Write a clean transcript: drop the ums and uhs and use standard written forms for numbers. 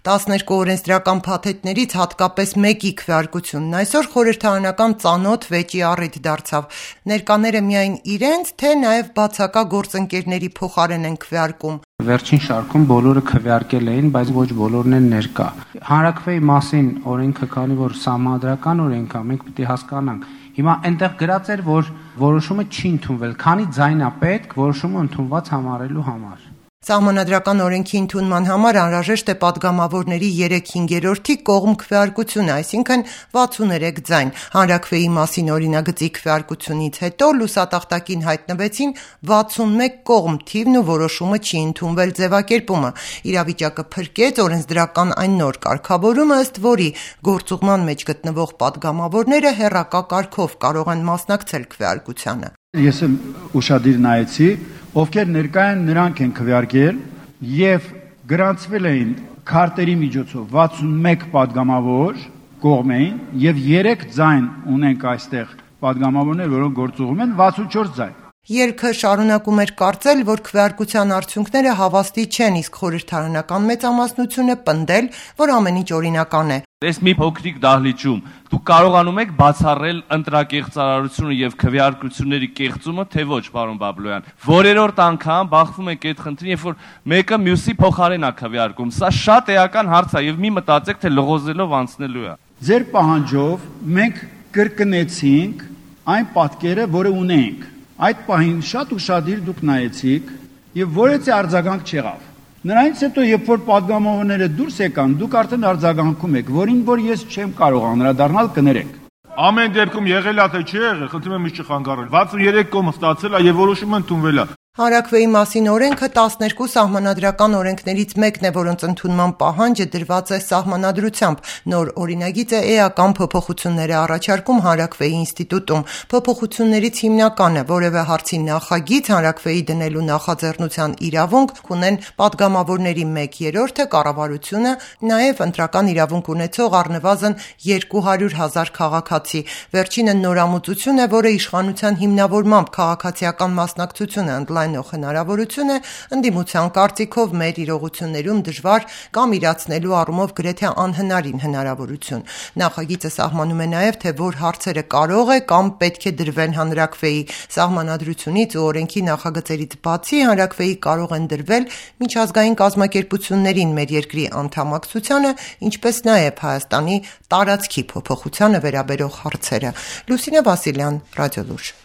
12 օրենսդրական փաթեթներից հատկապես մեկի քվեարկությունն այսօր խորհրդարանական ծանոթ վեճի առիթ դարձավ։ Ներկաները միայն իրենց, թե նաև բացակա գործընկերների փոխարեն են քվեարկում։ Վերջին շարքում բոլորը քվեարկել էին, բայց ոչ բոլորն են ներկա։ Հանրաքվեի մասին օրենքը, քանի որ սահմանադրական օրենք է, մենք պետք է հասկանանք։ Հիմա այնտեղ գրած էր, որ որոշումը չի ընդունվել, քանի ձայն է պետք որոշումը ընդունված համարելու համար։ Սահմանադրական օրենքի ընդունման համար անհրաժեշտ է պատգամավորների 3/5 կողմ քվեարկությունը, այսինքն 63 ձայն։ Հանրաքվեի մասին օրինագծի քվեարկությունից հետո լուսատախտակին հայտնվեցին 61 կողմ թիվն ու որոշումը չի ընդունվել ձևակերպումը։ Իրավիճակը փրկեց օրենսդրական այն նոր կարգավորումը, ըստ որի գործուղման մեջ գտնվող պատգամավորները հեռակա կարգով կարող են մասնակցել քվեարկությանը։ Ես ուշադիր նայեցի, ովքեր ներկա են, նրանք են քվեարկել եւ գրանցվել էին քարտերի միջոցով 61 պատգամավոր կողմ էին եւ 3 ձայն ունենք այստեղ պատգամավորներ, որոնք գործուղում են 64 ձայն։ Երգը շարունակում էր կարծել, որ քվեարկության արդյունքները հավաստի չեն, իսկ խորհրդարանական մեծամասնությունը պնդել, որ ամեն ինչ օրինական է։ Այս մի փոքրիկ դահլիճում դուք կարողանում եք բացառել ընտրակեղծարարությունը եւ քվեարկությունների կեղծումը, թե ոչ, պարոն Բաբլոյան։ Որերորդ անգամ բախվում եք այդ խնդրին, երբ որ մեկը մյուսի փոխարեն է քվեարկում։ Սա շատ էական հարց է եւ մի մտածեք, թե լղոզելով անցնելու է։ Ձեր պահանջով մենք կրկնեցինք այն պատկերը, որը ունենք։ Այդ պահին շատ ուշադիր դուք նայեցիք եւ որեցի արձագանք չեղավ։ Նրանից հետո, երբ որ պատգամավորները դուրս եկան, դուք արդեն արձագանքում եք, որին որ ես չեմ կարող անդրադառնալ, կներեք։ Ամեն դեպքում եղել է թե չի եղել, խնդրում եմ ինձ չխանգարել։ 63 կողմ ստացել է եւ որոշումը ընդունվել է։ Հանրաքվեի մասին օրենքը 12 սահմանադրական օրենքներից մեկն է, որոնց ընդունման պահանջը դրված է սահմանադրությամբ։ Նոր օրինագիծը էական փոփոխություններ է առաջարկում հանրաքվեի ինստիտուտում։ Փոփոխություններից հիմնականը որևէ հարցի նախագիծ հանրաքվեի դնելու նախաձեռնության իրավունք ունեն պատգամավորների 1/3-ը, կառավարությունը, նաև ընտրական իրավունք ունեցող առնվազն 200,000 քաղաքացի։ Վերջինը նորամուծություն է, որը իշխանության հիմնավորմամբ քաղաքացիական մասնակցությունը ընդլայնող հնարավորություն է, ընդդիմության կարծիքով մեր իրողություններում դժվար կամ իրացնելու առումով գրեթե անհնարին հնարավորություն։ Նախագիծը սահմանում է նաև, թե որ հարցերը կարող է կամ պետք է դրվեն հանրաքվեի։ Սահմանադրությունից ու օրենքի նախագծերից բացի հանրաքվեի կարող են դրվել միջազգային կազմակերպություններին մեր երկրի անդամակցությանը, ինչպես նաև Հայաստանի տարածքի փոփոխությանը վերաբերող հարցերը։ Լուսինե Վասիլյան, Ռադիոլուր։